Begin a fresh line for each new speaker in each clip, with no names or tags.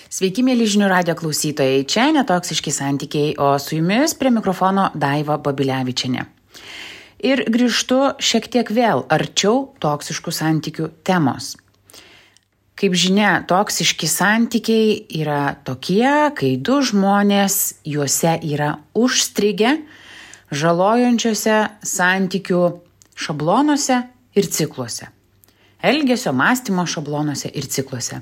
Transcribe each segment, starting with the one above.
Sveiki, mėly žinių radijo klausytojai. Čia netoksiški santykiai, o su jumis prie mikrofono Daiva Babilevičienė. Ir grįžtu šiek tiek vėl arčiau toksiškų santykių temos. Kaip žinia, toksiški santykiai yra tokie, kai du žmonės juose yra užstrigę žalojančiuose santykių šablonuose ir cikluose. Elgesio, mąstymo šablonuose ir cikluose.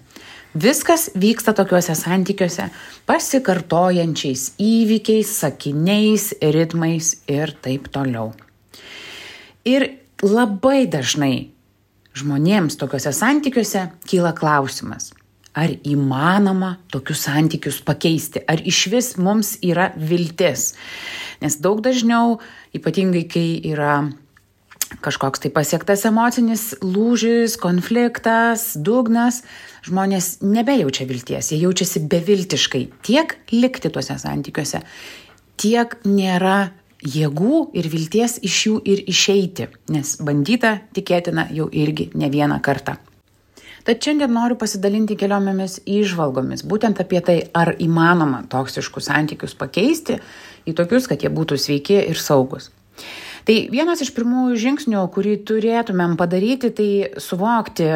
Viskas vyksta tokiuose santykiuose pasikartojančiais įvykiais, sakiniais, ritmais ir taip toliau. Ir labai dažnai žmonėms tokiuose santykiuose kyla klausimas, ar įmanoma tokius santykius pakeisti, ar išvis mums yra viltis. Nes daug dažniau, ypatingai kai yra kažkoks tai pasiektas emocinis lūžis, konfliktas, dugnas, žmonės nebejaučia vilties, jie jaučiasi beviltiškai tiek likti tuose santykiuose, tiek nėra jėgų ir vilties iš jų ir išeiti, nes bandyta tikėtina jau irgi ne vieną kartą. Tad šiandien noriu pasidalinti keliomis įžvalgomis, būtent apie tai, ar įmanoma toksiškus santykius pakeisti į tokius, kad jie būtų sveiki ir saugus. Tai vienas iš pirmųjų žingsnių, kurį turėtumėm padaryti, tai suvokti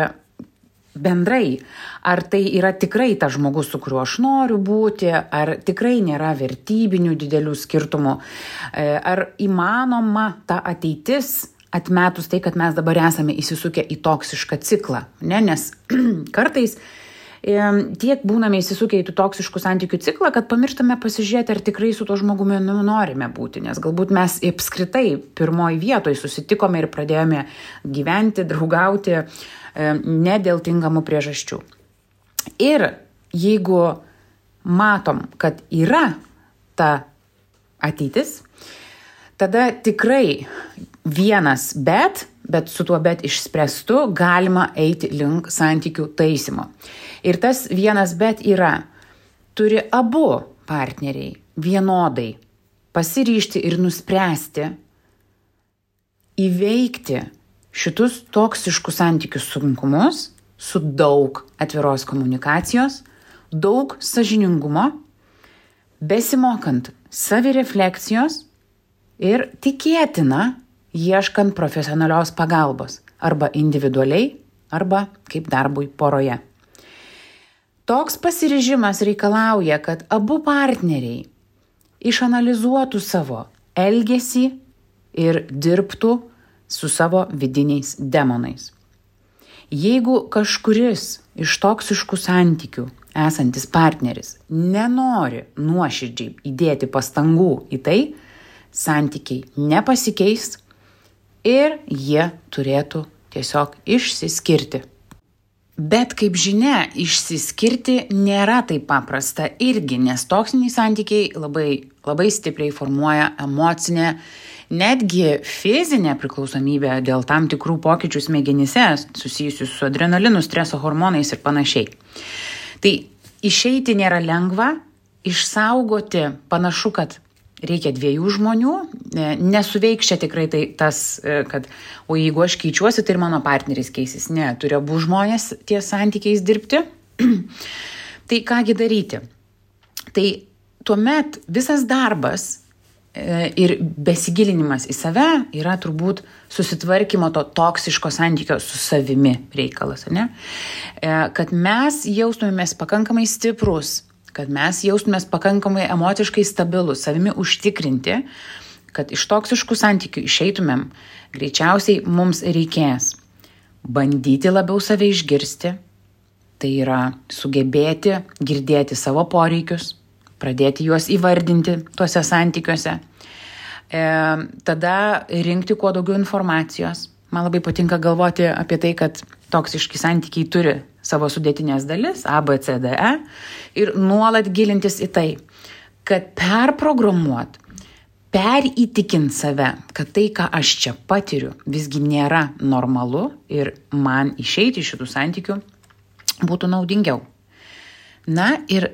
bendrai, ar tai yra tikrai tas žmogus, su kuriuo aš noriu būti, ar tikrai nėra vertybinių didelių skirtumų, ar įmanoma ta ateitis atmetus tai, kad mes dabar esame įsisukę į toksišką ciklą. Nes kartais tiek būname įsisukę į tų toksiškų santykių ciklą, kad pamirštame pasižiūrėti, ar tikrai su to žmogumi norime būti, nes galbūt mes apskritai pirmoji vietoje susitikome ir pradėjome gyventi, draugauti ne dėl tinkamų priežasčių. Ir jeigu matom, kad yra ta ateitis, tada tikrai vienas bet su tuo bet išspręstu galima eiti link santykių taisymo. Ir tas vienas bet yra, turi abu partneriai vienodai pasiryžti ir nuspręsti įveikti šitus toksiškus santykių sunkumus su daug atviros komunikacijos, daug sąžiningumo, besimokant savirefleksijos ir tikėtina ieškant profesionalios pagalbos arba individualiai, arba kaip darbui poroje. Toks pasiryžimas reikalauja, kad abu partneriai išanalizuotų savo elgesį ir dirbtų su savo vidiniais demonais. Jeigu kažkuris iš toksiškų santykių esantis partneris nenori nuoširdžiai įdėti pastangų į tai, santykiai nepasikeis ir jie turėtų tiesiog išsiskirti. Bet kaip žinia, išsiskirti nėra taip paprasta irgi, nes toksiniai santykiai labai stipriai formuoja emocinę, netgi fizinę priklausomybę dėl tam tikrų pokyčių smegenyse susijusių su adrenalinu, streso hormonais ir panašiai. Tai išeiti nėra lengva, išsaugoti panašu, kad reikia dviejų žmonių, nesuveiks čia tikrai tai tas, kad o jeigu aš keičiuosi, tai ir mano partneris keisis. Ne, turi abu žmonės ties santykiais dirbti. Tai kągi daryti? Tai tuomet visas darbas ir besigilinimas į save yra turbūt susitvarkymo to toksiško santykio su savimi reikalas, ne? Kad mes jaustumėmės pakankamai stiprus, kad mes jaustumės pakankamai emociškai stabilus, savimi užtikrinti, kad iš toksiškų santykių išeitumėm, greičiausiai mums reikės bandyti labiau save išgirsti, tai yra sugebėti girdėti savo poreikius, pradėti juos įvardinti tuose santykiuose, tada rinkti kuo daugiau informacijos. Man labai patinka galvoti apie tai, kad toksiški santykiai turi savo sudėtinės dalis, A, B, C, D, E, ir nuolat gilintis į tai, kad perprogramuot, perįtikint save, kad tai, ką aš čia patiriu, visgi nėra normalu ir man išeiti iš šitų santykių būtų naudingiau. Na ir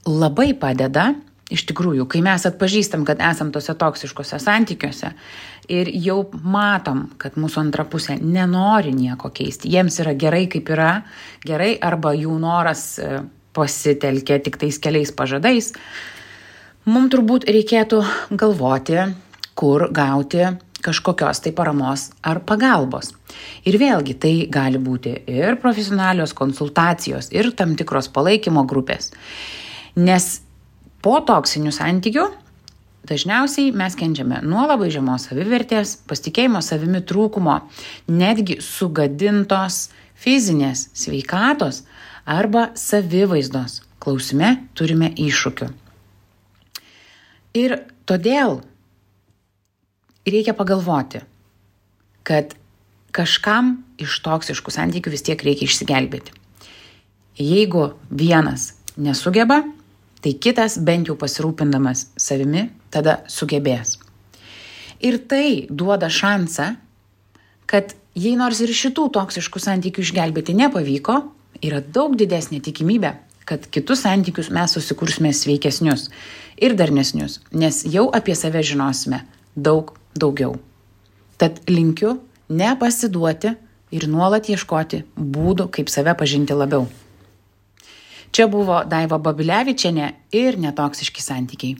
labai padeda, iš tikrųjų, kai mes atpažįstam, kad esam tose toksiškose santykiuose ir jau matom, kad mūsų antra pusė nenori nieko keisti, jiems yra gerai, kaip yra gerai, arba jų noras pasitelkia tik tais keliais pažadais, mums turbūt reikėtų galvoti, kur gauti kažkokios tai paramos ar pagalbos. Ir vėlgi tai gali būti ir profesionalios konsultacijos, ir tam tikros palaikymo grupės. Nes po toksinių santykių dažniausiai mes kenčiame nuo labai žemos savivertės, pasitikėjimo savimi trūkumo, netgi sugadintos fizinės sveikatos arba savivaizdos. Klausime turime iššūkių. Ir todėl reikia pagalvoti, kad kažkam iš toksiškų santykių vis tiek reikia išsigelbėti. Jeigu vienas nesugeba, tai kitas bent jau pasirūpindamas savimi tada sugebės. Ir tai duoda šansą, kad jei nors ir šitų toksiškų santykių išgelbėti nepavyko, yra daug didesnė tikimybė, kad kitus santykius mes susikursime sveikesnius ir darnesnius, nes jau apie save žinosime daug daugiau. Tad linkiu nepasiduoti ir nuolat ieškoti būdų, kaip save pažinti labiau. Čia buvo Daiva Babilevičienė ir Netoksiški santykiai.